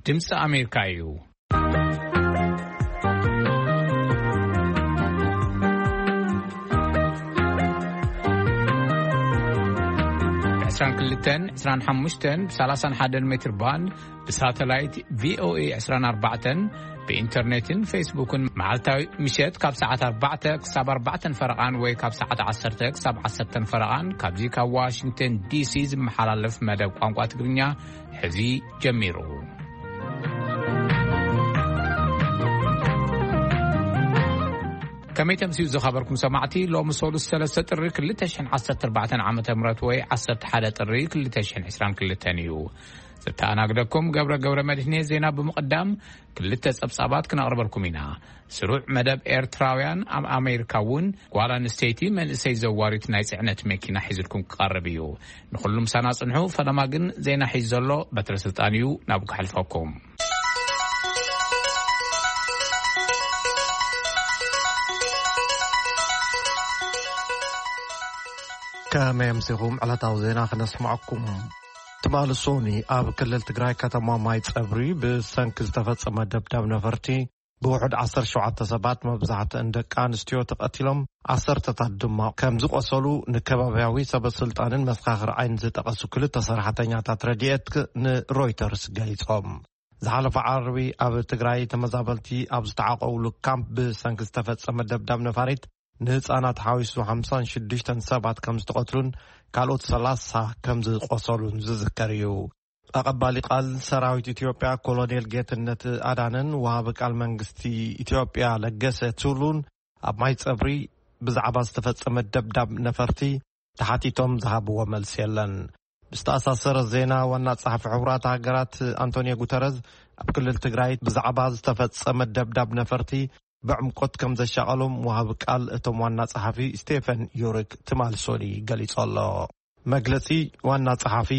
ድምፂ ኣሜሪካ እዩ። ዕስራን ክልተን፣ ዕስራን ሓሙሽተን፣ ብሰላሳን ሓደን ሜትር ባንድ፣ ብሳተላይት ቪ ኦ ኤ ዕስራን ኣርባዕተን፣ ብኢንተርኔትን ፌስቡክን መዓልታዊ ምሸት ካብ ሰዓት ኣርባዕተ ክሳብ ኣርባዕተን ፈረቓን ወይ ካብ ሰዓት ዓሰርተ ክሳብ ዓሰርተን ፈረቓን ካብዚ ካብ ዋሽንግተን ዲ ሲ ዝመሓላለፍ መደብ ቋንቋ ትግርኛ ሕዚ ጀሚሩ። ከመይ ተምስዩ ዝኸበርኩም ሰማዕቲ፣ ሎሚ ሰሉስ ሰለስተ ጥሪ ክልተ ሽሕን ዓሰርተ ኣርባዕተን ዓመተ ምህረት ወይ ዓሰርተ ሓደ ጥሪ ክልተ ሽሕን ዕስራን ክልተን እዩ። ዘተኣናግደኩም ገብረ ገብረ መድህኔ። ዜና ብምቕዳም ክልተ ጸብጻባት ክነቕርበልኩም ኢና። ስሩዕ መደብ ኤርትራውያን ኣብ ኣሜሪካ እውን ጓል ኣንስተይቲ መንእሰይ ዘዋሪት ናይ ጽዕነት መኪና ሒዝልኩም ክቐርብ እዩ። ንኹሉም ሳና ጽንሑ። ፈለማ ግን ዜና ሒዝ ዘሎ በትረ ስልጣን እዩ፣ ናብ ክሕልፈኩም። ከመይ ኣምሲኹም? ዕለታዊ ዜና ክነስምዐኩም። ትማሊ ሶኒ ኣብ ክልል ትግራይ ከተማ ማይ ጸብሪ ብሰንኪ ዝተፈጸመ ደብዳብ ነፈርቲ ብውሑድ ዓሰርተ ሸውዓተ ሰባት፣ መብዛሕትአን ደቂ ኣንስትዮ፣ ተቐቲሎም፣ ዓሰርተታት ድማ ከም ዝቖሰሉ ንከባብያዊ ሰበ ስልጣንን መሰኻኽር ዓይኒ ዝጠቐሱ ክልተ ሰራሕተኛታት ረድኤት ንሮይተርስ ገሊጾም። ዝሓለፈ ዓርቢ ኣብ ትግራይ ተመዛበልቲ ኣብ ዝተዓቆብሉ ካምፕ ብሰንኪ ዝተፈጸመ ደብዳብ ነፋሪት ንህጻናት ሓዊሱ ሓምሳን ሽዱሽተን ሰባት ከም ዝተቐትሉን ካልኦት ሰላሳ ከም ዝቖሰሉን ዝዝከር እዩ። ኣቐባሊ ቃል ሰራዊት ኢትዮጵያ ኮሎኔል ጌትነት ኣዳነን ወሃቢ ቃል መንግስቲ ኢትዮጵያ ለገሰ ቱሉን ኣብ ማይ ጸብሪ ብዛዕባ ዝተፈጸመ ደብዳብ ነፈርቲ ተሓቲቶም ዝሃብዎ መልሲ የለን። ብዝተኣሳሰረ ዜና፣ ዋና ጸሓፊ ሕቡራት ሃገራት ኣንቶኒዮ ጉተረዝ ኣብ ክልል ትግራይ ብዛዕባ ዝተፈጸመ ደብዳብ ነፈርቲ ብዕምቆት ከም ዘሻቐሎም ወሃቢ ቃል እቶም ዋና ጸሓፊ ስቴፈን ዩሪክ ትማሊ ሶኒ ገሊጹ ኣሎ። መግለጺ ዋና ጸሓፊ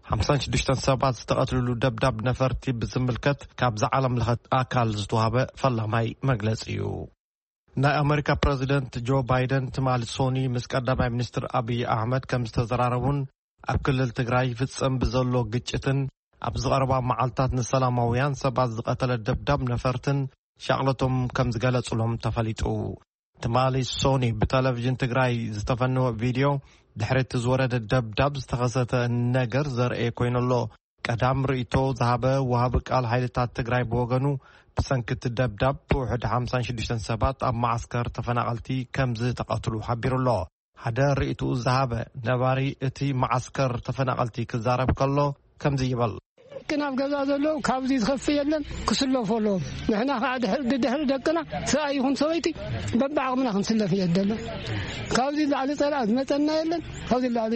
ሓምሳን ሽዱሽተን ሰባት ዝተቐትልሉ ደብዳብ ነፈርቲ ብዝምልከት ካብዛ ዓለም ለኸ ኣካል ዝተዋህበ ፈላማይ መግለጺ እዩ። ናይ ኣመሪካ ፕረዚደንት ጆ ባይደን ትማሊ ሶኒ ምስ ቀዳማይ ሚኒስትር ኣብይ ኣሕመድ ከም ዝተዘራረቡን ኣብ ክልል ትግራይ ይፍጸም ብዘሎ ግጭትን ኣብ ዝቐረባ መዓልታት ንሰላማውያን ሰባት ዝቐተለ ደብዳብ ነፈርትን ሻቕለቶም ከም ዝገለጹሎም ተፈሊጡ። ትማሊ ሶኒ ብቴሌቪዥን ትግራይ ዝተፈነወ ቪድዮ፣ ድሕሪ እቲ ዝወረደ ደብዳብ ዝተኸሰተ ነገር ዘርእየ ኮይኑ ኣሎ። ቀዳም ርእይቶ ዝሃበ ወሃቢ ቃል ሓይልታት ትግራይ ብወገኑ፣ ብሰንኪ እቲ ደብዳብ ብውሕድ ሓምሳን ሽዱሽተን ሰባት ኣብ መዓስከር ተፈናቐልቲ ከም ዝተቐትሉ ሓቢሩ ኣሎ። ሓደ ርእይትኡ ዝሃበ ነባሪ እቲ መዓስከር ተፈናቐልቲ ክዛረብ ከሎ ከምዚ ይብል። ደቅና ኣብ ገዛ ዘለዉ ካብዚ ዝኸፍእ የለን፣ ክስለፉ ኣለዎም። ንሕና ከዓ ድሕሪ፣ ድድሕሪ ደቅና ሰብኣይ ይኹን ሰበይቲ በብዓቕምና ክንስለፍ እየ ደሎ። ካብዚ ላዕሊ ጸላእ ዝመጸና የለን። ካብዚ ላዕሊ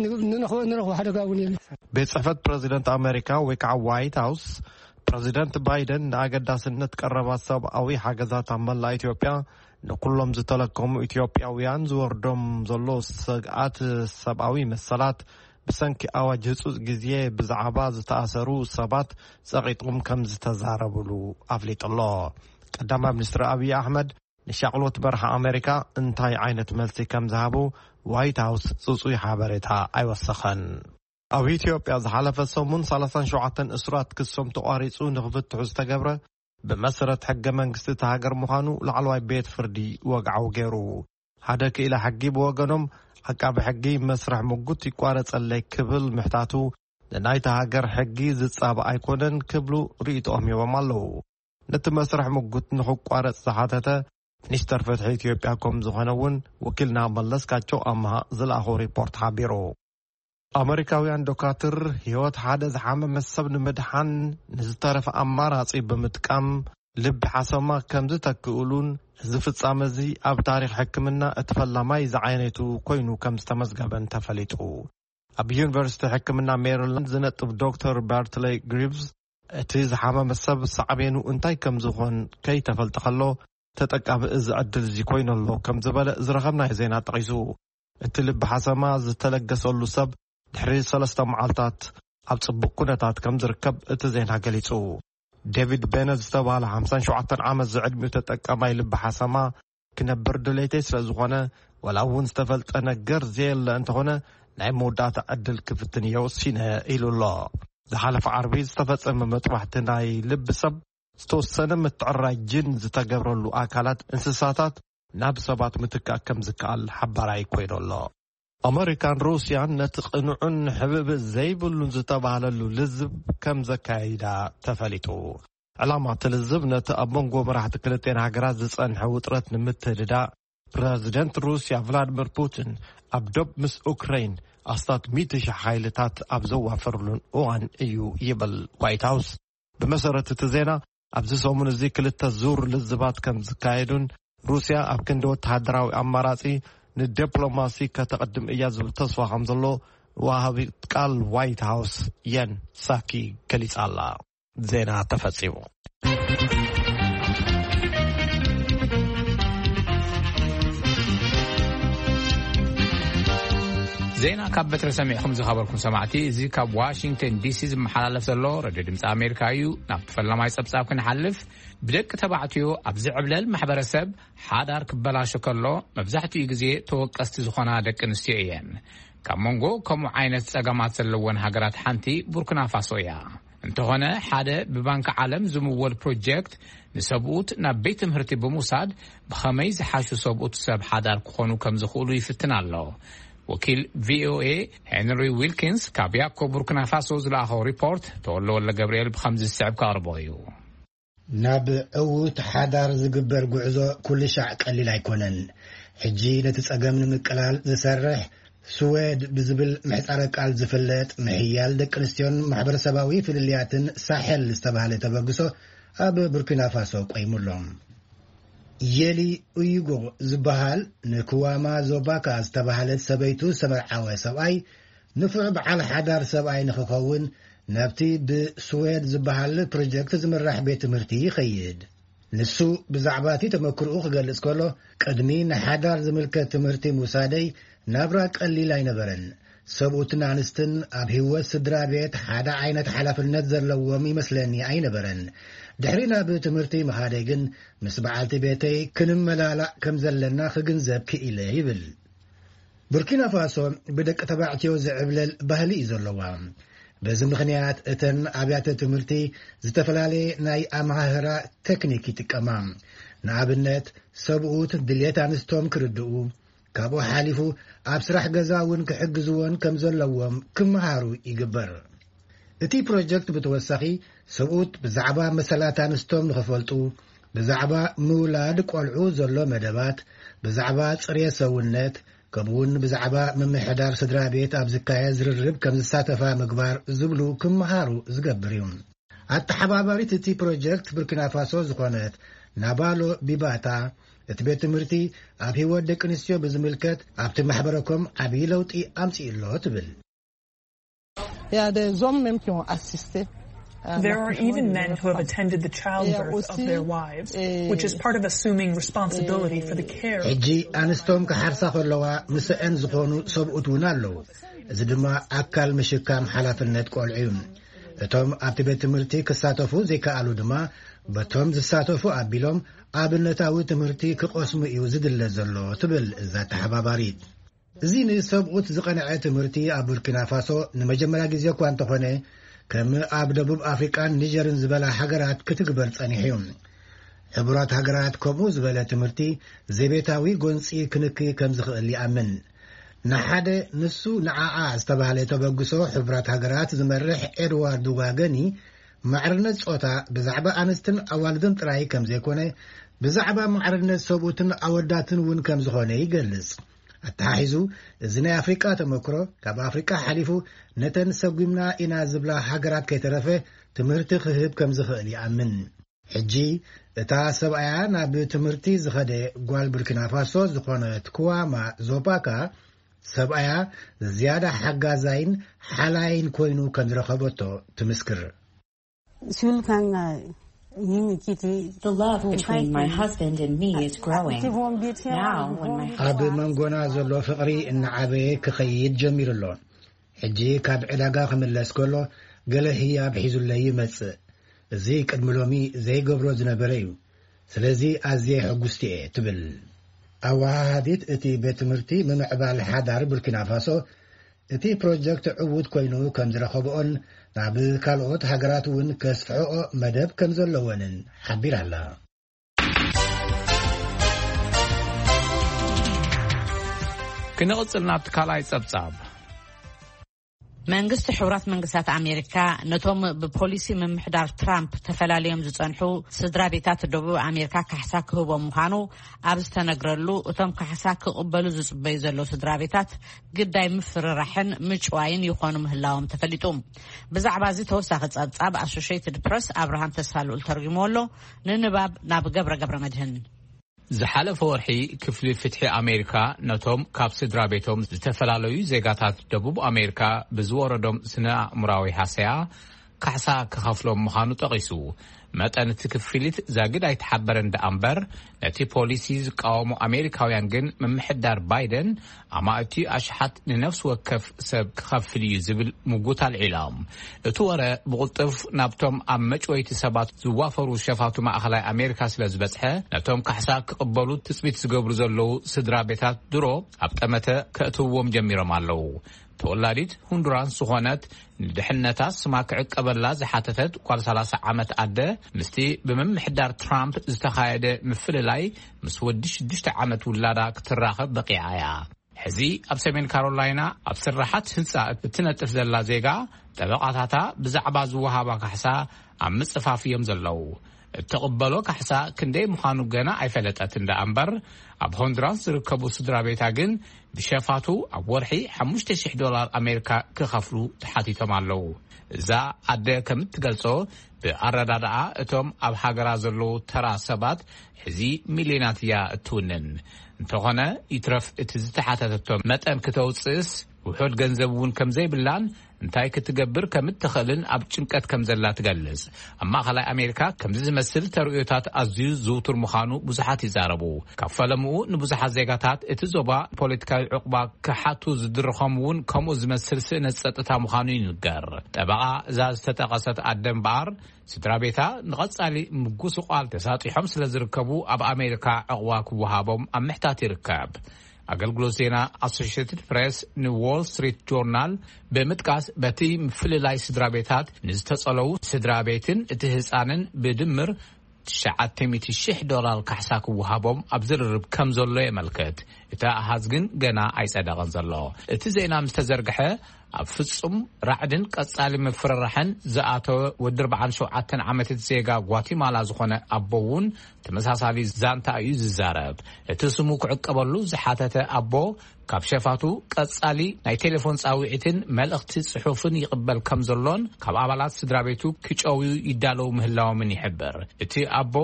ን-፣ ንረኽቦ፣ ንረኽቦ ሓደጋ እውን የለን። ቤት ጽሕፈት ፕረዚደንት ኣሜሪካ ወይ ከዓ ዋይት ሃውስ፣ ፕረዚደንት ባይደን ንኣገዳስነት ቀረባት ሰብኣዊ ሓገዛት ኣብ መላእ ኢትዮጵያ ንኩሎም ዝተለከሙ ኢትዮጵያውያን ዝወርዶም ዘሎ ስግኣት ሰብኣዊ መሰላት ብሰንኪ ኣዋጅ ህጹጽ ግዜ ብዛዕባ ዝተኣሰሩ ሰባት ጸቒጦም ከም ዝተዛረብሉ ኣፍሊጡ ኣሎ። ቀዳማይ ሚኒስትር ኣብይ ኣሕመድ ንሻቕሎት በረኻ ኣሜሪካ እንታይ ዓይነት መልሲ ከም ዝሃቡ ዋይት ሃውስ ጽጹይ ሓበሬታ ኣይወሰኸን። ኣብ ኢትዮጵያ ዝሓለፈ ሰሙን ሰላሳን ሸውዓተን እሱራት ክሶም ተቋሪጹ ንኽፍትሑ ዝተገብረ ብመሰረት ሕገ መንግስቲ እታ ሃገር ምዃኑ ላዕለዋይ ቤት ፍርዲ ወግዓዊ ገይሩ። ሓደ ክኢላ ሕጊ ብወገኖም፣ ዓቃቢ ሕጊ መስርሕ ምጉት ይቋረጸለይ ክብል ምሕታቱ ንናይታ ሃገር ሕጊ ዝጻባእ ኣይኮነን ክብሉ ርእይቶኦም ሂቦም ኣለዉ። ነቲ መስርሕ ምጉት ንኽቋረጽ ዝሓተተ ሚኒስተር ፍትሒ ኢትዮጵያ ከም ዝኾነ እውን ወኪልና መለስካቸው ኣምሃ ዝለኣኾ ሪፖርት ሓቢሩ። ኣመሪካውያን ዶካትር ህይወት ሓደ ዝሓመመ ሰብ ንምድሓን ንዝተረፈ ኣማራጺ ብምጥቃም ልቢ ሓሰማ ከም ዝተክእሉን፣ እዚ ፍጻመ እዚ ኣብ ታሪኽ ሕክምና እቲ ፈላማይ ዝዓይነቱ ኮይኑ ከም ዝተመዝገበን ተፈሊጡ። ኣብ ዩኒቨርሲቲ ሕክምና ሜሪላንድ ዝነጥፍ ዶክተር ባርትለይ ግሪቭስ፣ እቲ ዝሓመመ ሰብ ሳዕቤኑ እንታይ ከም ዝኾን ከይተፈልጠ ከሎ፣ ተጠቃሚ እዚ ዕድል እዚ ኮይኑ ኣሎ ከም ዝበለ ዝረኸብናዮ ዜና ጠቒሱ። እቲ ልቢ ሓሰማ ዝተለገሰሉ ሰብ ድሕሪ ሰለስተ መዓልታት ኣብ ጽቡቕ ኩነታት ከም ዝርከብ እቲ ዜና ገሊጹ። ዴቪድ ቤነት ዝተባህለ ሓምሳን ሸውዓተን ዓመት ዝዕድሚኡ ተጠቃማይ ልቢ ሓሰማ ክነብር ድሌተይ ስለ ዝኾነ፣ ወላ እውን ዝተፈልጠ ነገር ዘየለ እንተኾነ፣ ናይ መወዳእታ ዕድል ክፍትን እየ ወሲነ ኢሉ ኣሎ። ዝሓለፈ ዓርቢ ዝተፈጸመ መጥባሕቲ ናይ ልቢ ሰብ ዝተወሰነ ምትዕራይ ጅን ዝተገብረሉ ኣካላት እንስሳታት ናብ ሰባት ምትካእ ከም ዝከኣል ሓባራይ ኮይኑ ኣሎ። ኣመሪካን ሩስያን ነቲ ቅኑዕን ሕብብ ዘይብሉን ዝተባህለሉ ልዝብ ከም ዘካይዳ ተፈሊጡ። ዕላማ እቲ ልዝብ ነቲ ኣብ መንጎ መራሕቲ ክልቴን ሃገራት ዝጸንሐ ውጥረት ንምትህድዳእ፣ ፕረዚደንት ሩስያ ቭላድሚር ፑቲን ኣብ ዶብ ምስ ኡክረይን ኣስታት ሚእቲ ሺሕ ሓይልታት ኣብ ዘዋፈሩሉን እዋን እዩ ይብል ዋይት ሃውስ። ብመሰረት እቲ ዜና፣ ኣብዚ ሰሙን እዚ ክልተ ዙር ልዝባት ከም ዝካየዱን ሩስያ ኣብ ክንዲ ወተሃደራዊ ኣማራጺ ንዲፕሎማሲ ከተቕድም እያ ዝብል ተስፋ ከም ዘሎ ወሃቢ ቃል ዋይት ሃውስ የን ሳኪ ገሊጻ ኣላ። ዜና ተፈጺሙ። ዜና ካብ በትሪ ሰሚዕኹም ዝኸበርኩም ሰማዕቲ፣ እዚ ካብ ዋሽንግተን ዲሲ ዝመሓላለፍ ዘሎ ሬድዮ ድምፂ ኣሜሪካ እዩ። ናብቲ ፈላማይ ጸብጻብ ክንሓልፍ፣ ብደቂ ተባዕትዮ ኣብ ዝዕብለል ማሕበረሰብ ሓዳር ክበላሾ ከሎ መብዛሕትኡ ግዜ ተወቀስቲ ዝኾና ደቂ ኣንስትዮ እየን። ካብ መንጎ ከምኡ ዓይነት ጸገማት ዘለወን ሃገራት ሓንቲ ቡርኪና ፋሶ እያ። እንተኾነ፣ ሓደ ብባንኪ ዓለም ዝምወል ፕሮጀክት ንሰብኡት ናብ ቤት ትምህርቲ ብምውሳድ ብኸመይ ዝሓሹ ሰብኡት ሰብ ሓዳር ክኾኑ ከም ዝኽእሉ ይፍትን ኣሎ። ወኪል ቪኦኤ ሄንሪ ዊልኪንስ ካብ ያኮ ቡርኪና ፋሶ ዝለኣኸው ሪፖርት ተወለ ወለ ገብርኤል ብኸምዚ ዝስዕብ ከቕርቦ እዩ። ናብ ዕዉት ሓዳር ዝግበር ጉዕዞ ኩሉ ሻዕ ቀሊል ኣይኮነን። ሕጂ ነቲ ጸገም ንምቅላል ዝሰርሕ ስዌድ ብዝብል ምሕጻረ ቃል ዝፍለጥ ምሕያል ደቂ ኣንስትዮን ማሕበረሰባዊ ፍልልያትን ሳሕል ዝተባህለ ተበግሶ ኣብ ቡርኪና ፋሶ ቆይሙ ኣሎ። የሊ ኡይጎ ዝበሃል ንክዋማ ዞባካ ዝተባህለት ሰበይቱ ዝተመርዓወ ሰብኣይ ንፉዕ በዓል ሓዳር ሰብኣይ ንኽኸውን ናብቲ ብስዌድ ዝበሃል ፕሮጀክት ዝምራሕ ቤት ትምህርቲ ይኸይድ። ንሱ ብዛዕባ እቲ ተመክርኡ ክገልጽ ከሎ፣ ቅድሚ ንሓዳር ዝምልከት ትምህርቲ ምውሳደይ ናብራ ቀሊል ኣይነበረን። ሰብኡትን ኣንስትን ኣብ ህይወት ስድራ ቤት ሓደ ዓይነት ሓላፍነት ዘለዎም ይመስለኒ ኣይነበረን። ድሕሪ ናብ ትምህርቲ ምኻደይ ግን ምስ በዓልቲ ቤተይ ክንመላላእ ከም ዘለና ክግንዘብ ክኢለ ይብል። ቡርኪና ፋሶ ብደቂ ተባዕትዮ ዝዕብለል ባህሊ እዩ ዘለዋ። በዚ ምኽንያት እተን ኣብያተ ትምህርቲ ዝተፈላለየ ናይ ኣመሃህራ ቴክኒክ ይጥቀማ። ንኣብነት ሰብኡት ድልየት ኣንስቶም ክርድኡ፣ ካብኡ ሓሊፉ ኣብ ስራሕ ገዛ እውን ክሕግዝዎን ከም ዘለዎም ክመሃሩ ይግበር። እቲ ፕሮጀክት ብተወሳኺ ሰብኡት ብዛዕባ መሰላት ኣንስቶም ንኽፈልጡ፣ ብዛዕባ ምውላድ ቆልዑ ዘሎ መደባት፣ ብዛዕባ ጽሬት ሰውነት፣ ከምኡውን ብዛዕባ ምምሕዳር ስድራ ቤት ኣብ ዝካየድ ዝርርብ ከም ዝሳተፋ ምግባር ዝብሉ ክመሃሩ ዝገብር እዩ። ኣተሓባባሪት እቲ ፕሮጀክት ቡርኪና ፋሶ ዝኾነት ናባሎ ቢባታ፣ እቲ ቤት ትምህርቲ ኣብ ህይወት ደቂ ኣንስትዮ ብዝምልከት ኣብቲ ማሕበረኮም ዓብዪ ለውጢ ኣምጺኡ ኣሎ ትብል። Il y a des hommes même qui ont assisté. There are even men who have attended the childbirth of their wives, which is part of assuming responsibility for the care. ሕጂ ኣንስቶም ክሓርሳ ከለዋ ምስአን ዝኾኑ ሰብኡት እውን ኣለዉ። እዚ ድማ ኣካል ምሽካም ሓላፍነት ቆልዑ እዩ። እቶም ኣብቲ ቤት ትምህርቲ ክሳተፉ ዘይከኣሉ ድማ በቶም ዝሳተፉ ኣቢሎም ኣብነታዊ ትምህርቲ ክቐስሙ እዩ ዝድለ ዘሎ ትብል እዛ ተሓባባሪት። እዚ ንሰብኡት ዝቐንዐ ትምህርቲ ኣብ ቡርኪና ፋሶ ንመጀመርያ ግዜ እኳ እንተኾነ፣ ከም ኣብ ደቡብ ኣፍሪቃን ኒጀርን ዝበላ ሃገራት ክትግበር ጸኒሑ እዩ። ሕቡራት ሃገራት ከምኡ ዝበለ ትምህርቲ ዘቤታዊ ጎንጺ ክንኪ ከም ዝኽእል ይኣምን። ንሓደ ንሱ ንዓኣ ዝተባህለ ተበግሶ ሕቡራት ሃገራት ዝመርሕ ኤድዋርድ ዋገኒ፣ ማዕርነት ጾታ ብዛዕባ ኣንስትን ኣዋልድን ጥራይ ከም ዘይኮነ፣ ብዛዕባ ማዕርነት ሰብኡትን ኣወዳትን እውን ከም ዝኾነ ይገልጽ። ኣተሓሒዙ፣ እዚ ናይ ኣፍሪቃ ተመክሮ ካብ ኣፍሪቃ ሓሊፉ ነተን ሰጒምና ኢና ዝብላ ሃገራት ከይተረፈ ትምህርቲ ክህብ ከም ዝኽእል ይኣምን። ሕጂ እታ ሰብኣያ ናብ ትምህርቲ ዝኸደ ጓል ቡርኪና ፋሶ ዝኾነት ክዋማ ዞፓካ፣ ሰብኣያ ዝያዳ ሓጋዛይን ሓላይን ኮይኑ ከም ዝረኸበቶ ትምስክር። Sulkanga yimi kiti The love between my husband and me is growing. Now, when my ኣብ መንጎና ዘሎ ፍቕሪ እናዓበየ ክኸይድ ጀሚሩ ኣሎ። ሕጂ ካብ ዕዳጋ ክምለስ ከሎ ገለ ህያብ ሒዙለይ ይመጽእ። እዚ ቅድሚ ሎሚ ዘይገብሮ ዝነበረ እዩ። ስለዚ ኣዝየ ሕጉስቲ እየ ትብል። ኣወሃሃዲት እቲ ቤት ትምህርቲ ምምዕባል ሓዳር ቡርኪና ፋሶ እቲ ፕሮጀክት ዕዉት ኮይኑ ከም ዝረኸብኦን ናብ ካልኦት ሃገራት እውን ከስፍሕኦ መደብ ከም ዘለወንን ሓቢራ ኣላ። ክንቕጽል ናብቲ ካልኣይ ጸብጻብ። መንግስቲ ሕቡራት መንግስታት ኣሜሪካ ነቶም ብፖሊሲ ምምሕዳር ትራምፕ ተፈላልዮም ዝጸንሑ ስድራ ቤታት ደቡብ ኣሜሪካ ካሕሳ ክህቦም ምዃኑ ኣብ ዝተነግረሉ፣ እቶም ካሕሳ ክቕበሉ ዝጽበዩ ዘለዉ ስድራ ቤታት ግዳይ ምፍርራሕን ምጭዋይን ይኾኑ ምህላዎም ተፈሊጡ። ብዛዕባ እዚ ተወሳኺ ጸብጻብ ኣሶሽየትድ ፕረስ ኣብርሃም ተስፋልኡል ተርጉምዎ ኣሎ። ንንባብ ናብ ገብረ ገብረ መድህን። ዝሓለፈ ወርሒ ክፍሊ ፍትሒ ኣሜሪካ ነቶም ካብ ስድራ ቤቶም ዝተፈላለዩ ዜጋታት ደቡብ ኣሜሪካ ብዝወረዶም ስነ ኣእምራዊ ሃሰያ ካሕሳ ክኸፍሎም ምዃኑ ጠቒሱ። መጠን እቲ ክፍሊት ዛጊድ ኣይተሓበረን ደኣ እምበር፣ ነቲ ፖሊሲ ዝቃወሙ ኣሜሪካውያን ግን ምምሕዳር ባይደን ኣማእቲ ኣሽሓት ንነፍሲ ወከፍ ሰብ ክኸፍል እዩ ዝብል ምጉት ኣልዒሎም። እቲ ወረ ብቕልጡፍ ናብቶም ኣብ መጭወይቲ ሰባት ዝዋፈሩ ሸፋቱ ማእኸላይ ኣሜሪካ ስለ ዝበጽሐ፣ ነቶም ካሕሳ ክቕበሉ ትጽቢት ዝገብሩ ዘለዉ ስድራ ቤታት ድሮ ኣብ ጠመተ ከእትውዎም ጀሚሮም ኣለዉ። ተወላዲት ሁንዱራስ ዝኾነት፣ ንድሕነታ ስማ ክዕቀበላ ዝሓተተት ጓል ሰላሳ ዓመት ኣደ፣ ምስቲ ብምምሕዳር ትራምፕ ዝተኻየደ ምፍልላይ ምስ ወዲ ሽዱሽተ ዓመት ውላዳ ክትራኸብ በቂዓ እያ። ሕዚ ኣብ ሰሜን ካሮላይና ኣብ ስራሓት ህንጻ እትነጥፍ ዘላ ዜጋ፣ ጠበቓታታ ብዛዕባ ዝወሃባ ካሕሳ ኣብ ምጽፋፍ እዮም ዘለዉ። እትቕበሎ ካሕሳ ክንደይ ምዃኑ ገና ኣይፈለጠትን ደኣ እምበር፣ ኣብ ሆንዱራስ ዝርከቡ ስድራ ቤታ ግን ብሸፋቱ ኣብ ወርሒ ሓሙሽተ ሽሕ ዶላር ኣሜሪካ ክኸፍሉ ተሓቲቶም ኣለዉ። እዛ ኣደ ከም እትገልጾ፣ ብኣረዳድኣ እቶም ኣብ ሃገራ ዘለዉ ተራ ሰባት ሕዚ ሚልዮናት እያ እትውንን። እንተኾነ፣ ይትረፍ እቲ ዝተሓተተቶ መጠን ክተውጽእስ ውሑድ ገንዘብ እውን ከም ዘይብላን እንታይ ክትገብር ከም እትኽእልን ኣብ ጭንቀት ከም ዘላ ትገልጽ። ኣብ ማእኸላይ ኣሜሪካ ከምዚ ዝመስል ተርእዮታት ኣዝዩ ዝውቱር ምዃኑ ብዙሓት ይዛረቡ። ካብ ፈለምኡ ንብዙሓት ዜጋታት እቲ ዞባ ፖለቲካዊ ዕቑባ ክሓቱ ዝድርኾም እውን ከምኡ ዝመስል ስእነት ጸጥታ ምዃኑ ይንገር። ጠበቓ እዛ ዝተጠቐሰት ኣደ እምበኣር፣ ስድራ ቤታ ንቐጻሊ ምጉስቋል ተሳጢሖም ስለ ዝርከቡ ኣብ ኣሜሪካ ዕቑባ ክወሃቦም ኣብ ምሕታት ይርከብ። ኣገልግሎት ዜና ኣሶሽየትድ ፕሬስ ንዎል ስትሪት ጆርናል ብምጥቃስ፣ በቲ ምፍልላይ ስድራ ቤታት ንዝተጸለዉ ስድራ ቤትን እቲ ህጻንን ብድምር ትሽዓተ ሚእቲ ሽሕ ዶላር ካሕሳ ክወሃቦም ኣብ ዝርርብ ከም ዘሎ የመልክት። እቲ ኣሃዝ ግን ገና ኣይጸደቐን ዘሎ። እቲ ዜና ምስ ተዘርግሐ፣ ኣብ ፍጹም ራዕድን ቀጻሊ ምፍርራሕን ዝኣተወ ወዲ ኣርባዓን ሸውዓተን ዓመት ዜጋ ጓቲማላ ዝኾነ ኣቦ እውን ተመሳሳሊ ዛንታ እዩ ዝዛረብ። እቲ ስሙ ክዕቀበሉ ዝሓተተ ኣቦ፣ ካብ ሸፋቱ ቀጻሊ ናይ ቴሌፎን ጻውዒትን መልእኽቲ ጽሑፍን ይቕበል ከም ዘሎን ካብ ኣባላት ስድራ ቤቱ ክጨውዩ ይዳለዉ ምህላዎምን ይሕብር። እቲ ኣቦ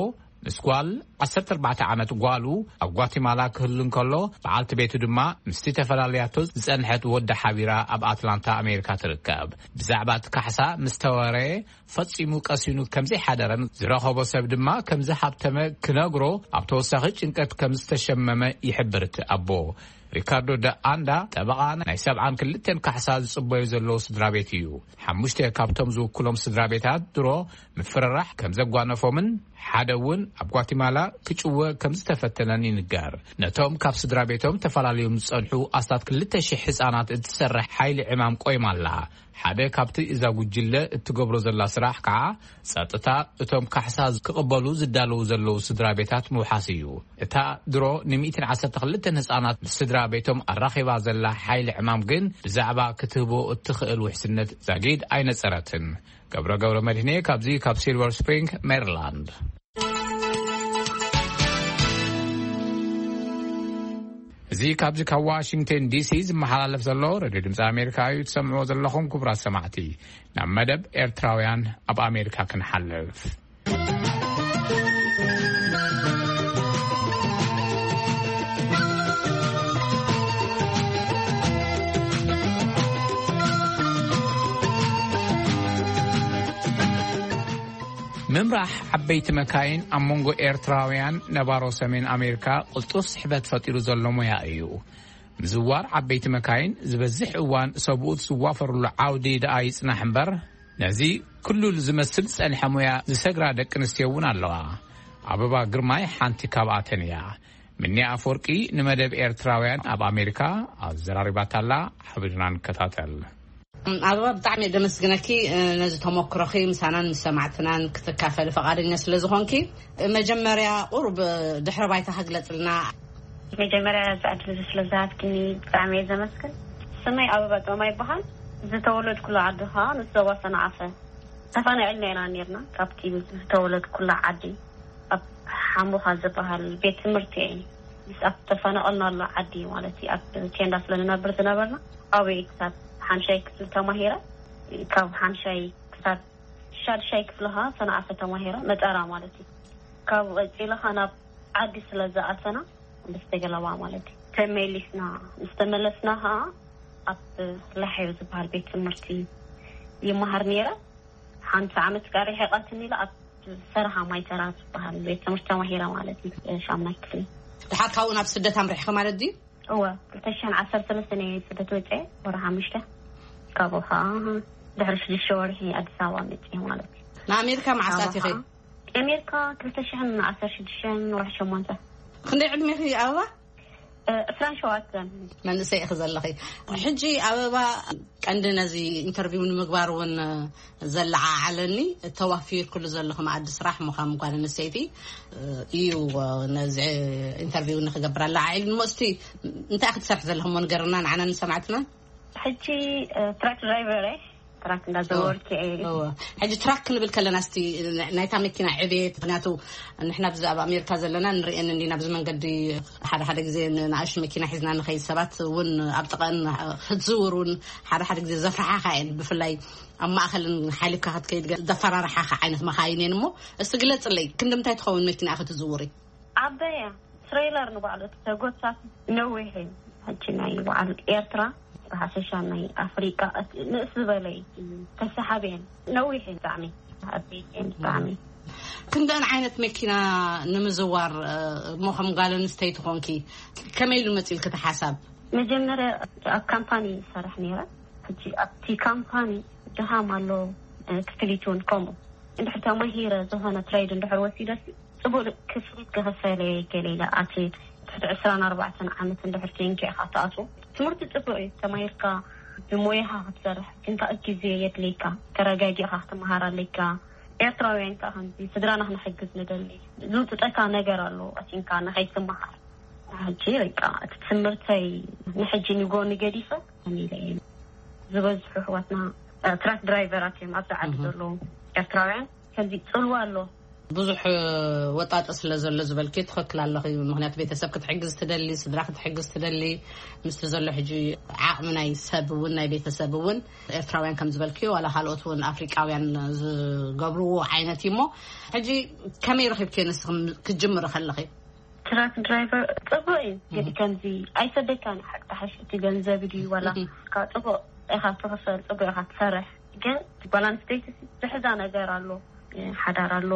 ምስ ጓል ዓሰርተ ኣርባዕተ ዓመት ጓሉ ኣብ ጓቲማላ ክህሉ እንከሎ፣ በዓልቲ ቤቱ ድማ ምስቲ ተፈላለያቶ ዝጸንሐት ወዳ ሓቢራ ኣብ ኣትላንታ ኣሜሪካ ትርከብ። ብዛዕባ እቲ ካሕሳ ምስ ተወረየ፣ ፈጺሙ ቀሲኑ ከም ዘይሓደረን ዝረኸቦ ሰብ ድማ ከም ዝሃብተመ ክነግሮ ኣብ ተወሳኺ ጭንቀት ከም ዝተሸመመ ይሕብር እቲ ኣቦ። ሪካርዶ ደ ኣንዳ ጠበቓ ናይ ሰብዓን ክልተን ካሕሳ ዝጽበዩ ዘለዉ ስድራ ቤት እዩ። ሓሙሽተ ካብቶም ዝውክሎም ስድራ ቤታት ድሮ ምፍርራሕ ከም ዘጓነፎምን ሓደ እውን ኣብ ጓቲማላ ክጭወ ከም ዝተፈተነን ይንገር። ነቶም ካብ ስድራ ቤቶም ተፈላለዮም ዝጸንሑ ኣስታት ክልተ ሽሕ ህጻናት እትሰርሕ ሓይሊ ዕማም ቆይማ ኣላ። ሓደ ካብቲ እዛ ጉጅለ እትገብሮ ዘላ ስራሕ ከዓ ጸጥታ እቶም ካሕሳ ክቕበሉ ዝዳለዉ ዘለዉ ስድራ ቤታት ምውሓስ እዩ። እታ ድሮ ንሚእትን ዓሰርተ ክልተን ህጻናት ምስ ስድራ ቤቶም ኣራኺባ ዘላ ሓይሊ ዕማም ግን ብዛዕባ ክትህቦ እትኽእል ውሕስነት ዛጊድ ኣይነጸረትን። ገብረ ገብረ መድህኔ ካብዚ ካብ ሲልቨር ስፕሪንግ ሜሪላንድ። እዚ ካብዚ ካብ ዋሽንግተን ዲሲ ዝመሓላለፍ ዘሎ ሬድዮ ድምፂ ኣሜሪካ እዩ ትሰምዕዎ ዘለኹም። ክቡራት ሰማዕቲ፣ ናብ መደብ ኤርትራውያን ኣብ ኣሜሪካ ክንሓልፍ። ምምራሕ ዓበይቲ መካይን ኣብ መንጎ ኤርትራውያን ነባሮ ሰሜን ኣሜሪካ ቅልጡፍ ስሕበት ፈጢሩ ዘሎ ሞያ እዩ። ምዝዋር ዓበይቲ መካይን ዝበዝሕ እዋን ሰብኡት ዝዋፈሩሉ ዓውዲ ደኣ ይጽናሕ እምበር፣ ነዚ ክሉል ዝመስል ዝጸንሐ ሞያ ዝሰግራ ደቂ ኣንስትዮ እውን ኣለዋ። ኣበባ ግርማይ ሓንቲ ካብኣተን እያ። ምኒ ኣፈወርቂ ንመደብ ኤርትራውያን ኣብ ኣሜሪካ ኣዘራሪባታላ። ሓቢርና ንከታተል። ኣበባ፣ ብጣዕሚ እየ ደመስግነኪ፣ እ፣ ነዚ ተሞክሮኺ ምሳናን ምስ ሰማዕትናን ክትካፈሊ ፈቓደኛ ስለ ዝኾንኪ። መጀመርያ ቁሩብ ድሕረ ባይታ ክግለጽልና። መጀመርያ እዚ ዕድል እዚ ስለ ዝሃብክኒ ብጣዕሚ እየ ዘመስግን። ስመይ ኣበባ ጦማ ይበሃል። ዝተወለድኩሉ ዓዲ ኸኣ ንስ ዞባ ሰንዓፈ። ተፈናቒልና ኢና ነርና ካብቲ ዝተወለድኩላ ዓዲ። ኣብ ሓሙኻ ዝበሃል ቤት ትምህርቲ እየ። ምስ ኣብ ተፈናቐልናሉ ዓዲ ማለት እዩ፣ ኣብ ቴንዳ ስለ ንነብር ዝነበርና፣ ኣብኡ ክሳብ ሓምሻይ ክፍሊ ተማሂረ። ካብ ሓምሻይ ክሳብ ሻድሻይ ክፍሊ ኸዓ ሰንዓፈ ተማሂረ፣ መጠራ ማለት እዩ። ካብኡ ቀጺለ ኸዓ ናብ ዓዲ ስለ ዝኣተና፣ ብዝተገለባ ማለት እዩ። ተመሊስና፣ ምስ ተመለስና ኸዓ ኣብ ላሕዮ ዝበሃል ቤት ትምህርቲ ይመሃር ነይረ። ሓንቲ ዓመት ከኣ ርሒቓትኒ ኢለ ኣብ ሰርሃ ማይተራ ዝበሃል ቤት ትምህርቲ ተማሂረ ማለት እዩ። ሻምናይ ክፍሊ። ድሓር ካብኡ ናብ ስደት ኣምሪሕኺ ማለት ድዩ? እወ፣ ክልተ ሽሕን ዓሰርተ ሰለስተን እየ ስደት ወፅኤ፣ ወርሒ ሓሙሽተ። ካብኡ ከዓ ድሕሪ ሽዱሽተ ወርሒ ኣዲስ ኣበባ መፅኤ ማለት እዩ። ንኣሜሪካ መዓስ ኣቲኺ? ኣሜሪካ ክልተ ሽሕን ዓሰርተ ሽዱሽተን ወርሒ ሸሞንተ። ክንደይ ዕድሜኺ ኣበባ? እ፣ ዕስራን ሸውዓተን። መንእሰይ ኢኺ ዘለኺ። ሕጂ ኣበባ፣ ቀንዲ ነዚ ኢንተርቪው ንምግባር እውን ዘለዓዓለኒ፣ ተዋፊርክሉ ዘለኹ መኣዲ ስራሕ ምዃኑ ጓል ኣንስተይቲ እዩ ነዚ ኢንተርቪው ንክገብር ኣለዓዒሉ። እሞ እስቲ እንታይ ክትሰርሕ ዘለኹ እሞ ንገርና ንዓና ንሰማዕትና። ሕጂ፣ እ፣ ትራክ ድራይቨር እየ። ትራክ እንዳዘወርኩ እየ። እወ። ሕጂ ትራክ ክንብል ከለና እስቲ ናይታ መኪና ዕቤት፣ ምክንያቱ ንሕና ብዚ ኣብ ኣሜሪካ ዘለና ንርእየን እንዲና፣ ኣብዚ መንገዲ ሓደ ሓደ ግዜ ንኣሽቱ መኪና ሒዝና ንኸይድ፣ ሰባት እውን ኣብ ጥቐን ክትዝውር እውን ሓደ ሓደ ግዜ ዘፍርሓኻ እየን። ብፍላይ ኣብ ማእኸልን ሓሊፍካ ክትከይድ ገ-፣ ዘፈራርሓኻ ዓይነት መኻይን እየን። እሞ እስቲ ግለጽለይ፣ ክንዲ ምንታይ ትኸውን መኪና ክትዝውሪ? ዓበያ ትሬለር ንባዕሉ እቲ ተጎታቲ ነዊሕ እዩ። ሕጂ ናይ በዓል ኤርትራ ብሓፈሻ ናይ ኣፍሪቃ እቲ ንእስ ዝበለ እዩ። ተሰሓቢ እየን። ነዊሕ እየን ብጣዕሚ። ዓበይቲ እየን ብጣዕሚ። ክንደን ዓይነት መኪና ንምዝዋር፣ እ፣ እሞ ከም ጓል ኣንስተይቲ ኮንኪ ከመይ ኢሉ መፂልኪ እቲ ሓሳብ? መጀመርያ ኣብ ካምፓኒ ይሰርሕ ነይረ። ሕጂ ኣብቲ ካምፓኒ ድኻም ኣሎ፣ እ፣ ክፍሊት እውን ከምኡ። እንድሕር ተማሂረ ዝኾነ ትሬድ እንድሕር ወሲደሲ ጽቡቅ ክፍሊት ክኽፈለ ገለ ኢለ ኣትየ። ትሕቲ ዕስራን ኣርባዕተን ዓመት እንድሕር ኮንካ ኢኻ ትኣትዎ። ትምህርቲ ጽቡቅ እዩ፣ ተማሂርካ ብሞያኻ ክትሰርሕ፣ ግን ከኣ ግዜ የድልየካ፣ ተረጋጊእካ ክትመሃር ኣለካ። ኤርትራውያን ከኣ ከምዚ ስድራና ክንሕግዝ ንደሊ። ዝውጥጠካ ነገር ኣሎ፣ ኣቲንካ ንኸይትመሃር። ሕጂ በቃ እቲ ትምህርተይ ንሕጂ ንጎኒ ገዲፈ ከመይ ኢለ እየ። ዝበዝሑ ኣሕዋትና፣ እ፣ ትራክ ድራይቨራት እዮም ኣብዚ ዓዲ እህ። ዘለዉ ኤርትራውያን። ከምዚ ጽልዋ ኣሎ። ብዙሕ ወጣጢ ስለ ዘሎ ዝበልኪ ትኽክል ኣለኺ። ምኽንያቱ ቤተሰብ ክትሕግዝ ትደሊ፣ ስድራ ክትሕግዝ ትደሊ። ምስቲ ዘሎ ሕጂ ዓቕሚ ናይ ሰብ እውን ናይ ቤተሰብ እውን ኤርትራውያን ከም ዝበልኪ ዋላ ካልኦት እውን ኣፍሪቃውያን ዝገብርዎ ዓይነት እዩ። እሞ ሕጂ ከመይ ረኺብኪ ንስኺ ክትጅምሪ ከለኺ? ትራክ ድራይቨር ጽቡቅ እዩ፣ ግን እህ። ከምዚ ኣይሰደካን ሓቂ ተሓሽ እቲ ገንዘብ ድዩ ዋላ እህ። ካብ ጽቡቅ ኢኻ ትኽፈል፣ ጽቡቅ ኢኻ ትሰርሕ። ግን ጓል ኣንስተይቲ ዝሕዛ ነገር ኣሎ፣ ሓዳር ኣሎ፣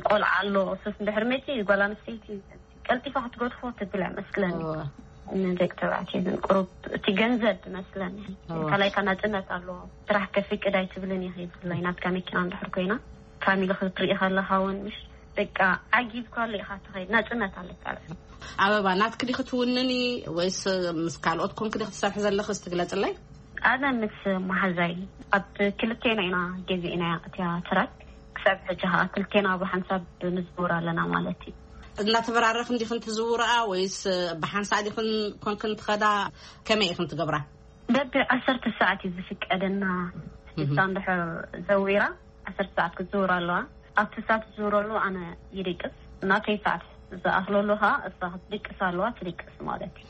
ቆልዓ ኣሎ። ሱስ እንድሕር መፂ ጓል ኣንስተይቲ ቀልጢፋ ክትገድፎ ትብል እያ መስለኒ። እወ። ንደቂ ተባዕትዮ ግን ቁሩብ እቲ ገንዘብ መስለኒ። እወ። ካልኣይካ ናፅነት ኣሎ። ስራሕ ከፍቅድ ኣይትብልን ኢኺ፣ ብፍላይ ናትካ መኪና እንድሕር ኮይና ፋሚሊ ክትርኢ ከለኻ እውን ምሽ በቃ ዓጊብካሉ ኢኻ ትኸይድ፣ ናፅነት ኣለካ። ኣበባ፣ ናትኪ ዲኺ ትውንኒ ወይስ ምስ ካልኦት ኮንኪ ዲኺ ትሰርሒ ዘለኺ? እስቲ ግለጽለይ። ኣነ ምስ መሓዛይ ኣብ ክልቴና ኢና ገዚእናያ እቲያ ትራክ። ክሳብ ሕጂ ኸኣ ክልቴና ብሓንሳብ ንዝውር ኣለና ማለት እዩ። እናተበራረኽን ዲኽን ትዝውርኣ ወይስ ብሓንሳእ ዲኽን ኮንክን ትኸዳ? ከመይ ኢኽን ትገብራ? በቢ ዓሰርተ ሰዓት እዩ ዝፍቀደና። እህ። እሳ እንድሕር ዘዊራ ዓሰርተ ሰዓት ክትዝውር ኣለዋ። ኣብቲ እሳ ትዝውረሉ ኣነ ይድቅስ። ናተይ ሰዓት ዝኣኽለሉ ኸኣ እሳ ክትድቅስ ኣለዋ፣ ትድቅስ ማለት እዩ።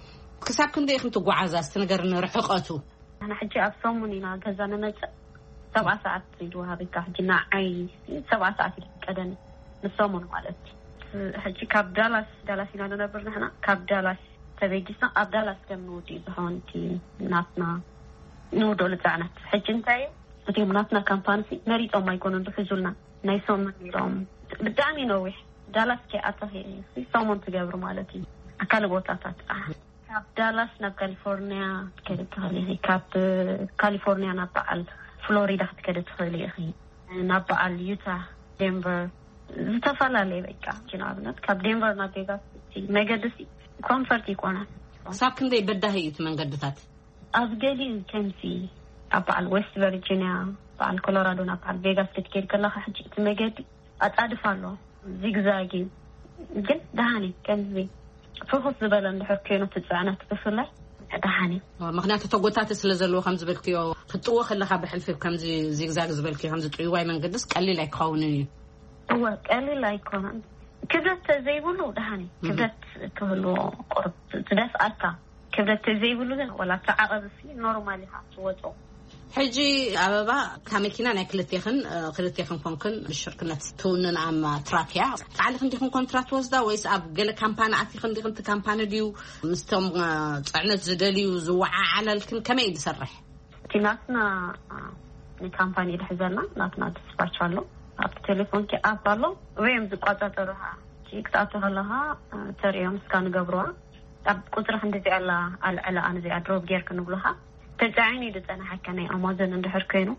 ክሳብ ክንደይ ኢኽን ትጓዓዛ? እስቲ ንገርኒ ርሕቐቱ። ንሕና ሕጂ ኣብ ሰሙን ኢና ገዛ ንመጽእ። ሰብዓ ሰዓት እዩ ዝወሃበካ። ሕጂ ንዓይ ሰብዓ ሰዓት እዩ ዝፍቀደኒ ንሰሙን ማለት እዩ። ሕጂ ካብ ዳላስ፣ ዳላስ ኢና ንነብር ንሕና። ካብ ዳላስ ተበጊስና ኣብ ዳላስ ከም ንውድእ ዝኸውን እቲ ናትና ንውደሉ ጽዕነት። ሕጂ እንታይ እዩ? እቲኦም ናትና ካምፓኒ ሲ መሪጾም ኣይኮኑን ዝሕዙልና። ናይ ሰሙን ኢሎም ብጣዕሚ ነዊሕ። ዳላስ ከይኣተኺ ሰሙን ትገብሪ ማለት እዩ። ኣብ ካልእ ቦታታት ጥራሕ። ካብ ዳላስ ናብ ካሊፎርኒያ ክትከዲ ትኽእሊ ኢኺ። ካብ ካሊፎርኒያ ናብ በዓል ፍሎሪዳ ክትከዲ ትኽእሊ ኢኺ። ናብ በዓል ዩታ፣ ዴንቨር፣ ዝተፈላለየ በቃ። ንኣብነት ካብ ዴንቨር ናብ ቬጋስ እቲ መገዲ ሲ ኮንፈርት ይኮነ። ክሳብ ክንደይ በዳሂ እዩ እቲ መንገድታት? ኣብ ገሊኡ ከምዚ ኣብ በዓል ዌስት ቨርጂኒያ፣ በዓል ኮሎራዶ ናብ በዓል ቬጋስ ክትከይድ ከለኻ፣ ሕጂ እቲ መገዲ ኣጻድፍ ኣሎ፣ ዚግዛግ እዩ። ግን ደሃኒ ከምዚ ፍኹስ ዝበለ እንድሕር ኮይኑ እቲ ጽዕነት ብፍላይ ደሃኒ። ምክንያቱ ተጎታቲ ስለ ዘለዎ ከም ዝበልክዮ፣ ክትጥዎ ከለኻ ብሕልፊ ከምዚ ዚግዛግ ዝበልክዮ፣ ከምዚ ጥውይዋይ መንገድስ ቀሊል ኣይክኸውንን እዩ። እወ፣ ቀሊል ኣይኮነን። ክብደት ዘይብሉ ደሃኒ፣ ክብደት ክህልዎ ቁርብ ዝደፍኣካ። ክብደት ዘይብሉ ግን ወላ እቲ ዓቐብ ሲ ኖርማል ኢኻ ትወጾ። ሕጂ ኣበባ፣ እታ መኪና ናይ ክልቴኽን፣ እ፣ ክልቴኽን ኮንክን ብሽርክነት ትውንን ኣማ ትራክ እያ። ባዕልኽን ዲኽን ኮንትራት ትወስዳ ወይስ ኣብ ገለ ካምፓኒ ኣቲኽን ዲኽን? እቲ ካምፓኒ ድዩ ምስቶም፣ እ፣ ጽዕነት ዝደልዩ ዝወዓዓለልክን? ከመይ እዩ ዝሰርሕ? እቲ ናትና፣ እ፣ ንካምፓኒ ድሕዘና ናትና ዲስፓች ኣሎ። ኣብቲ ቴሌፎንኪ ኣፕ ኣሎ። ወይም ዝቆጻጸሩኻ፣ እቲ ክትኣቱ ከለኻ፣ እ፣ ተርእዮም እስካ ንገብርዋ። ኣብ ቁጽሪ ክንዲዚኣ ኣላ ኣልዕላ ኣነዚኣ ድሮፕ ጌር ክንብሉኻ። ተጻዒኑ እዩ ዝጸናሓካ ናይ ኣማዞን እንድሕር ኮይኑ፣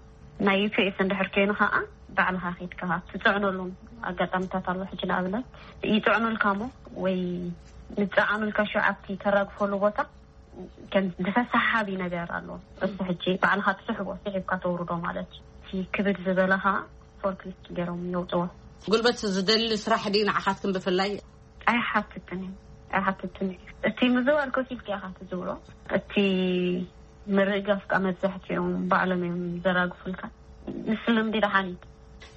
ናይ ዩ ፒ ኤስ እንድሕር ኮይኑ ኸዓ ባዕልኻ ኸይድካ ትጽዕነሉ ኣጋጣሚታት ኣሎ። ሕጂ ንኣብነት ይጽዕኑልካ እሞ ወይ ንጸዓኑልካ ሽዑ ኣብቲ ተራግፈሉ ቦታ ከም ዝፈሳሓቢ ነገር ኣሎ። እሱ ሕጂ ባዕልኻ ትስሕቦ፣ ስሒብካ ተውርዶ ማለት እዩ። እቲ ክብድ ዝበለ ኸዓ ፎርክሊፍት ገይሮም የውፅዎ። ጉልበት ዝደሊ ስራሕ ድዩ ንዓኻትክን ብፍላይ? ኣይሓትትን እዩ፣ ኣይሓትትን እዩ። እቲ ምዝዋር ኮፍ ኢልካ ኢኻ ትዝውሮ። እቲ ምርጋፍ ከኣ መብዛሕትኦም ባዕሎም እዮም ዘራግፉልካ። ምስ ልምዲ ደሓን እዩ።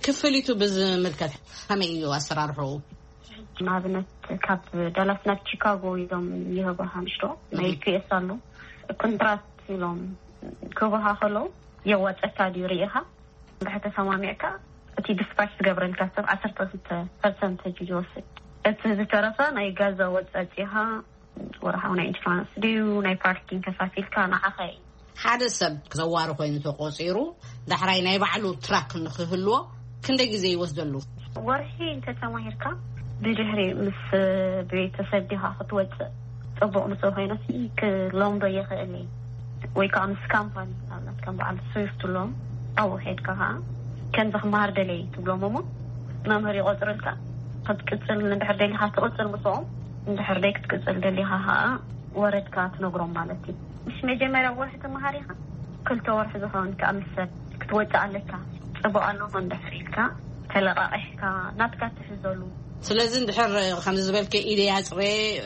ክፍሊቱ ብዝምልከት ከመይ እዩ ኣሰራርሕኡ? ንኣብነት ካብ ዳላስ ናብ ቺካጎ ኢሎም ይህቡኻ፣ ምሽ ዶ ናይ ፒ ኤስ ኣሎ። ኮንትራት ኢሎም ክህቡኻ ከለዉ የዋፀካ ድዩ ርኢኻ? እንድሕር ተሰማሚዕካ፣ እቲ ዲስፓች ዝገብረልካ ሰብ ዓሰርተ ክልተ ፐርሰንት እዩ ዝወስድ። እቲ ዝተረፈ ናይ ጋዛ ወጻጺኻ፣ ወርሓዊ ናይ ኢንሹራንስ ድዩ ናይ ፓርኪንግ ከፋፊልካ ንዓኻ እዩ። ሓደ ሰብ ዘዋሪ ኮይኑ ተቆጺሩ፣ ዳሕራይ ናይ ባዕሉ ትራክ ንክህልዎ ክንደይ ግዜ ይወስደሉ? ወርሒ እንተተማሂርካ፣ ብድሕሪ ምስ ቤተሰብ ዲኻ ክትወጽእ ጽቡቕ ምስ ኮይነ፣ ክለምዶ ይኽእል እዩ። ወይ ከዓ ምስ ካምፓኒ፣ ንኣብነት ከም በዓል ስዊፍት ሎም ኣብኡ ከይድካ ከዓ ከምዚ ክመሃር ደለየ ትብሎም እሞ፣ መምህር ይቆጽርልካ። ክትቅጽል እንድሕር ደሊኻ ትቕጽል ምስኦም፣ እንድሕር ደይ ክትቅጽል ደሊኻ ከዓ ወረድካ ትነግሮም ማለት እዩ። ምስ መጀመርያ ወርሒ ትመሃር ኢኻ፣ ክልተ ወርሒ ዝኸውን ከዓ ምስ ሰብ ክትወጽእ ኣለካ። ጽቡቕ ኣለኹ እንድሕር ኢልካ ተለቃቂሕካ ናትካ ትሕዘሉ። ስለዚ እንድሕር ከምዚ ዝበልከ ኢደ ያጽረ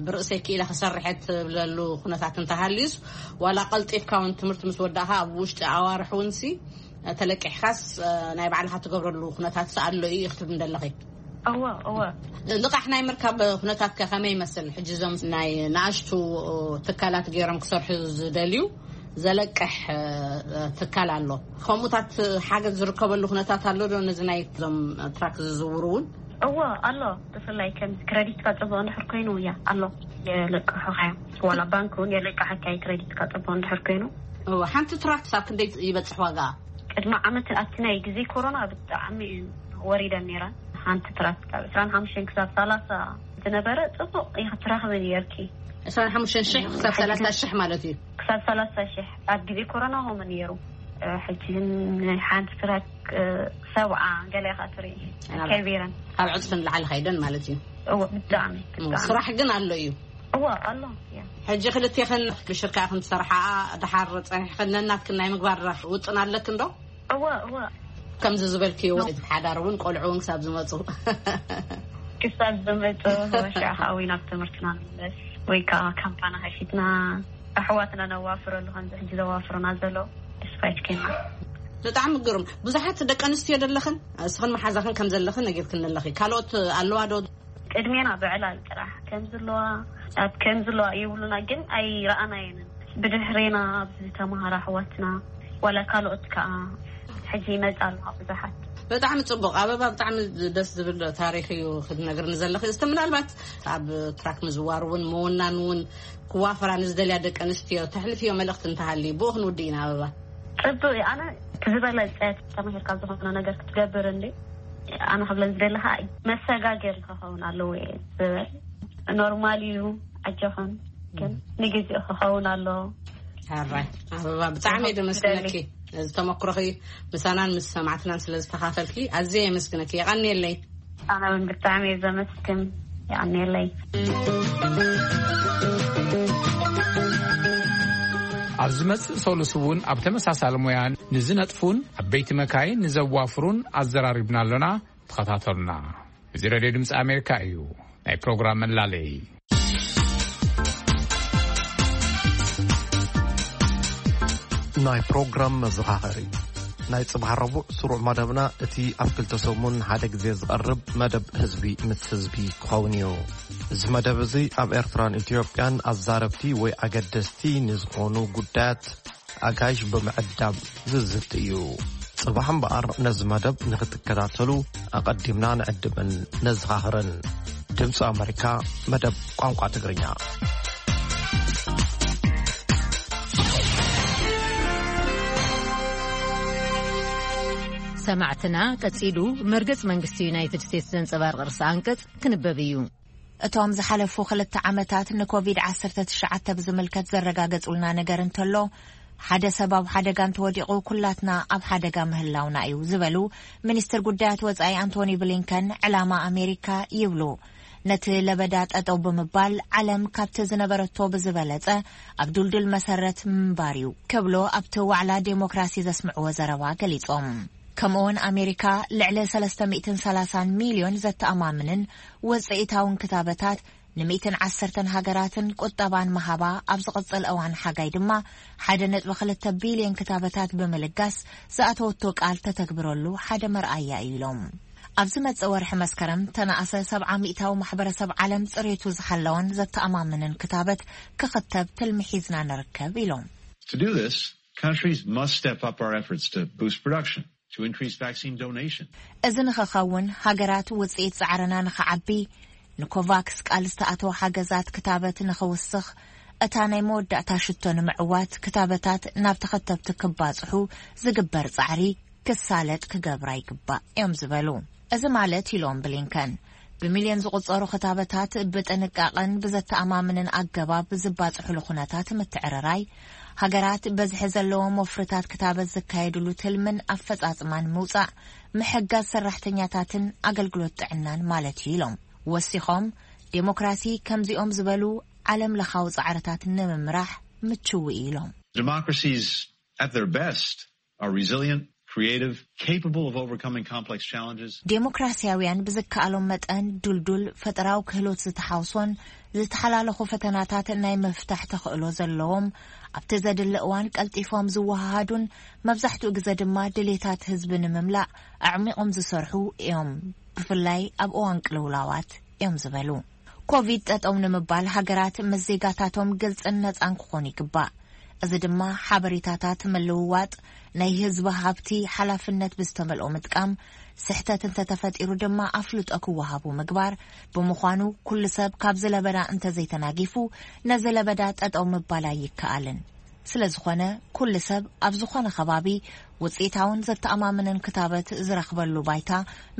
ብርእሰይ ክኢለ ክሰርሐ ትብለሉ ኩነታት እንተሃልዩስ፣ ዋላ ቀልጢፍካ እውን ትምህርቲ ምስ ወዳእካ ኣብ ውሽጢ ኣዋርሕ እውን ሲ ተለቂሕካስ ናይ ባዕልካ ትገብረሉ ኩነታት ኣሎ እዩ ክትብል እንደለኺ? እወ፣ እወ። ልቃሕ ናይ ምርካብ ኩነታት ከ ከመይ ይመስል? ሕጂ እዞም ናይ ንኣሽቱ ትካላት ገይሮም ክሰርሑ ዝደልዩ ዘለቅሕ ትካል ኣሎ። ከምኡታት ሓገዝ ዝርከበሉ ኩነታት ኣሎ ዶ? ነዚ ናይ እዞም ትራክ ዝዝውሩ እውን? እወ፣ ኣሎ። ብፍላይ ከም ክረዲትካ ጽቡቕ እንድሕር ኮይኑ፣ እያ ኣሎ። የለቅሑኻ እዮም። ዋላ ባንክ እውን የለቅሓካ እዩ፣ ክረዲትካ ጽቡቕ እንድሕር ኮይኑ። እወ፣ ሓንቲ ትራክ ክሳብ ክንደይ ይበጽሕ ዋጋ? ቅድሚ ዓመት ኣብቲ ናይ ግዜ ኮሮና ብጣዕሚ ወሪደን ነይረን። ሓንቲ ትራክ ካብ ዕስራን ሓሙሽተን ክሳብ ሰላሳ ዝነበረ ጽቡቕ ኢኺ ትረኽቢ ነይርኪ። ዕስራን ሓሙሽተን ሽሕ ክሳብ ሰላሳ ሽሕ ማለት እዩ። ክሳብ ሰላሳ ሽሕ ኣብ ግዜ ኮሮና ከምኡ ነይሩ። እ፣ ሕጂ ግን ሓንቲ ትራክ፣ እ፣ ሰብዓ ገለ ኢኻ ትርኢ። ናብ ከቢረን። ካብ ዕጽፊ ንላዕሊ ከይደን ማለት እዩ። እወ፣ ብጣዕሚ፣ እም፣ ብጣዕሚ። ስራሕ ግን ኣሎ እዩ። እወ፣ ኣሎ፣ እያ። ሕጂ ክልቴኽን ብሽርካ ኢኽን ትሰርሓ፣ ድሓር ጸኒሕክን ነናትክን ናይ ምግባር ውጥን ኣለክን ዶ? እወ፣ እወ። ከምዚ ዝበልክዮ፣ ሓዳር እውን ቆልዑ እውን ክሳብ ዝመጹ። ክሳብ ዝመጹ፣ ወሻ ሓዊ ናብ ትምህርትና ንመለስ፣ ወይ ከዓ ካምፓና ከፊትና ኣሕዋትና ነዋፍረሉ፣ ከምዚ ሕጂ ዘዋፍሩና ዘሎ ተስፋ ይትከልና። ብጣዕሚ ግሩም። ብዙሓት ደቂ ኣንስትዮ ደለኽን፣ እስኽን መሓዛኽን ከም ዘለኽን ነጊርክን ኣለኺ። ካልኦት ኣለዋ ዶ? ቅድሜና ብዕላል ጥራሕ ከም ዘለዋ፣ ኣብ ከም ዘለዋ ይብሉና፣ ግን ኣይረኣናየንን። ብድሕሬና ኣብዚ ተምሃራ ኣሕዋትና፣ ዋላ ካልኦት ከኣ ሕጂ ይመጻ ኣለዋ ብዙሓት። ብጣዕሚ ጽቡቕ ኣበባ፣ ብጣዕሚ ደስ ዝብል ታሪኽ እዩ ክትነግርኒ ዘለኺ። እስቲ ምናልባት ኣብ ትራክ ምዝዋር እውን ምውናን እውን ክዋፈራ ንዝደልያ ደቂ ኣንስትዮ ተሕልፍዮ መልእኽቲ እንተሃልዩ ብኡ ክንውድእ ኢና ኣበባ። ጽቡቕ እዩ። ኣነ እቲ ዝበለጸ ተማሂርካ ዝኾነ ነገር ክትገብር እንዲ ኣነ ክብለን ዝደሊ ኸኣ መሰጋገሪ ክኸውን ኣለዎ እየ ዝብል። ኖርማል እዩ፣ ኣጆኽን ግን ንግዜኡ ክኸውን ኣለዎ። ሕራይ ኣበባ፣ ብጣዕሚ እየ ደመስግነኪ። እዚ ተመክሮኺ ምሳናን ምስ ሰማዕትናን ስለ ዝተኻፈልኪ ኣዝየ የመስግነኪ። የቐንየለይ። ኣነ እውን ብጣዕሚ እየ ዘመስግን። የቐንየለይ። ኣብ ዝመጽእ ሰሉስ እውን ኣብ ተመሳሳሊ ሞያ ንዝነጥፉን ዓበይቲ መካይን ንዘዋፍሩን ኣዘራሪብና ኣሎና። ተኸታተሉና። እዚ ሬድዮ ድምፂ ኣሜሪካ እዩ። ናይ ፕሮግራም መላለይ። ናይ ፕሮግራም መዘኻኸሪ። ናይ ጽባሕ ረቡዕ ስሩዕ መደብና እቲ ኣብ ክልተ ሰሙን ሓደ ግዜ ዝቐርብ መደብ ህዝቢ ምስ ህዝቢ ክኸውን እዩ። እዚ መደብ እዚ ኣብ ኤርትራን ኢትዮጵያን ኣዛረብቲ ወይ ኣገደስቲ ንዝኾኑ ጉዳያት ኣጋይሽ ብምዕዳም ዝዝቲ እዩ። ጽባሕ እምበኣር ነዚ መደብ ንኽትከታተሉ ኣቐዲምና ንዕድምን ነዘኻኽርን። ድምፂ ኣመሪካ፣ መደብ ቋንቋ ትግርኛ። ሰማዕትና፣ ቀጺሉ መርገጽ መንግስቲ ዩናይትድ ስቴትስ ዘንጸባርቕ ርእሰ ኣንቀጽ ክንበብ እዩ። እቶም ዝሓለፉ ክልተ ዓመታት ንኮቪድ ዓሰርተ ትሽዓተ ብዝምልከት ዘረጋገጹልና ነገር እንተሎ፣ ሓደ ሰብ ኣብ ሓደጋ እንተወዲቑ ኩላትና ኣብ ሓደጋ ምህላውና እዩ ዝበሉ ሚኒስትር ጉዳያት ወጻኢ ኣንቶኒ ብሊንከን፣ ዕላማ ኣሜሪካ ይብሉ ነቲ ለበዳ ጠጠው ብምባል ዓለም ካብቲ ዝነበረቶ ብዝበለጸ ኣብ ዱልዱል መሰረት ምንባር እዩ ክብሉ ኣብቲ ዋዕላ ዴሞክራሲ ዘስምዕዎ ዘረባ ገሊጾም። ከምኡውን ኣሜሪካ ልዕሊ ሰለስተ ሚእትን ሰላሳን ሚልዮን ዘተኣማምንን ውጽኢታውን ክታበታት ንሚእትን ዓሰርተን ሃገራትን ቁጠባን መሃባ፣ ኣብ ዝቕጽል እዋን ሓጋይ ድማ ሓደ ነጥቢ ክልተ ቢልዮን ክታበታት ብምልጋስ ዝኣተወቶ ቃል ተተግብረሉ ሓደ መርኣያ እዩ ኢሎም። ኣብ ዝመጽእ ወርሒ መስከረም ተነኣሰ ሰብዓ ሚእታዊ ማሕበረሰብ ዓለም ጽሬቱ ዝሓለወን ዘተኣማምንን ክታበት ክኽተብ ትልሚ ሒዝና ንርከብ ኢሎም። To do this, countries must step up our efforts to boost production, to increase vaccine donation. እዚ ንኽኸውን፣ ሃገራት ውጽኢት ጻዕርና ንኽዓቢ፣ ንኮቫክስ ቃል ዝተኣተወ ሓገዛት ክታበት ንኽውስኽ፣ እታ ናይ መወዳእታ ሽቶ ንምዕዋት ክታበታት ናብ ተኸተብቲ ክባጽሑ ዝግበር ጻዕሪ ክሳለጥ ክገብራ ይግባእ እዮም ዝበሉ። እዚ ማለት፣ ኢሎም ብሊንከን፣ ብሚልዮን ዝቑጸሩ ክታበታት ብጥንቃቐን ብዘተኣማምንን ኣገባብ ዝባጽሑሉ ኩነታት ምትዕርራይ፣ ሃገራት በዝሒ ዘለዎም ወፍርታት ክታበት ዝካየድሉ ትልምን ኣፈጻጽማን ምውጻእ፣ ምሕጋዝ ሰራሕተኛታትን ኣገልግሎት ጥዕናን ማለት እዩ ኢሎም። ወሲኾም፣ ዴሞክራሲ ከምዚኦም ዝበሉ ዓለም ለኻዊ ጻዕርታት ንምምራሕ ምችው እዩ ኢሎም። Democracies at their best are resilient, creative, capable of overcoming complex challenges. ዴሞክራሲያውያን ብዝከኣሎም መጠን ዱልዱል ፈጠራዊ ክህሎት ዝተሓውሶን ዝተሓላለኹ ፈተናታት ናይ ምፍታሕ ተኽእሎ ዘለዎም፣ ኣብቲ ዘድሊ እዋን ቀልጢፎም ዝወሃሃዱን መብዛሕትኡ ግዜ ድማ ድሌታት ህዝቢ ንምምላእ ኣዕሚቖም ዝሰርሑ እዮም፣ ብፍላይ ኣብ እዋን ቅልውላዋት እዮም ዝበሉ። ኮቪድ ጠጠው ንምባል ሃገራት ምስ ዜጋታቶም ግልጽን ነጻን ክኾኑ ይግባእ። እዚ ድማ ሓበሬታታት ምልውዋጥ፣ ናይ ህዝቢ ሃብቲ ሓላፍነት ብዝተመልኦ ምጥቃም፣ ስሕተት እንተተፈጢሩ ድማ ኣፍልጦ ክወሃቡ ምግባር ብምዃኑ፣ ኩሉ ሰብ ካብዚ ለበዳ እንተዘይተናጊፉ፣ ነዚ ለበዳ ጠጠው ምባል ኣይከኣልን። ስለ ዝኾነ፣ ኩሉ ሰብ ኣብ ዝኾነ ከባቢ ውጽኢታውን ዘተኣማምንን ክታበት ዝረኽበሉ ባይታ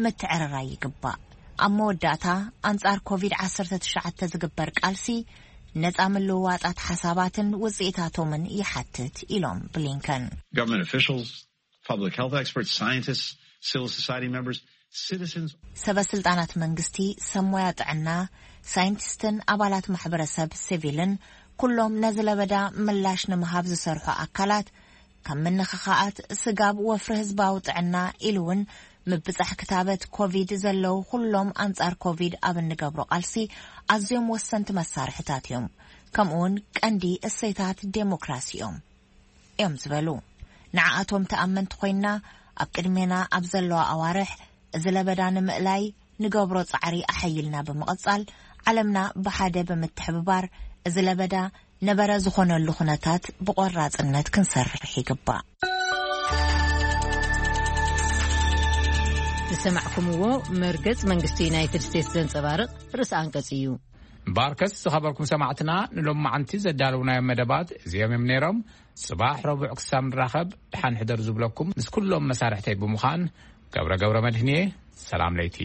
ምትዕርራይ ይግባእ። ኣብ መወዳእታ፣ ኣንጻር ኮቪድ ዓሰርተ ትሽዓተ ዝግበር ቃልሲ፣ ነጻ ምልውዋጣት ሓሳባትን ውጽኢታቶምን ይሓትት ኢሎም ብሊንከን። Government officials, public health experts, scientists, civil society members, citizens. ሰበ ስልጣናት መንግስቲ፣ ሰብ ሞያ ጥዕና፣ ሳይንቲስትን ኣባላት ማሕበረሰብ ሲቪልን፣ ኩሎም ነዚ ለበዳ ምላሽ ንምሃብ ዝሰርሑ ኣካላት፣ ካብ ምንኽኻኣት ስጋብ ወፍሪ ህዝባዊ ጥዕና ኢሉ እውን ምብጻሕ ክታበት ኮቪድ ዘለዉ ኩሎም ኣንጻር ኮቪድ ኣብ እንገብሮ ቃልሲ ኣዝዮም ወሰንቲ መሳርሕታት እዮም። ከምኡውን ቀንዲ እሴታት ዴሞክራሲ እዮም፣ እዮም ዝበሉ። ንዓኣቶም ተኣመንቲ ኮይንና ኣብ ቅድሜና ኣብ ዘለዋ ኣዋርሕ እዚ ለበዳ ንምእላይ ንገብሮ ጻዕሪ ኣሐይልና ብምቕጻል ዓለምና ብሓደ ብምትሕብባር እዚ ለበዳ ነበረ ዝኾነሉ ኩነታት ብቆራጽነት ክንሰርሕ ይግባእ። ዝሰማዕኩምዎ መርገጽ መንግስቲ ዩናይትድ ስቴትስ ዘንጸባርቕ ርእሰ ኣንቀጽ እዩ። እምበኣርከስ ዝኸበርኩም ሰማዕትና ንሎማዓንቲ ዘዳለውናዮም መደባት እዚኦም እዮም ነይሮም። ጽባሕ ረቡዕ ክሳብ ንራኸብ ደሓን ሕደሩ ዝብለኩም ምስ ኩሎም መሳርሕተይ ብምዃን ገብረ ገብረ መድህንየ ሰላም ለይቲ።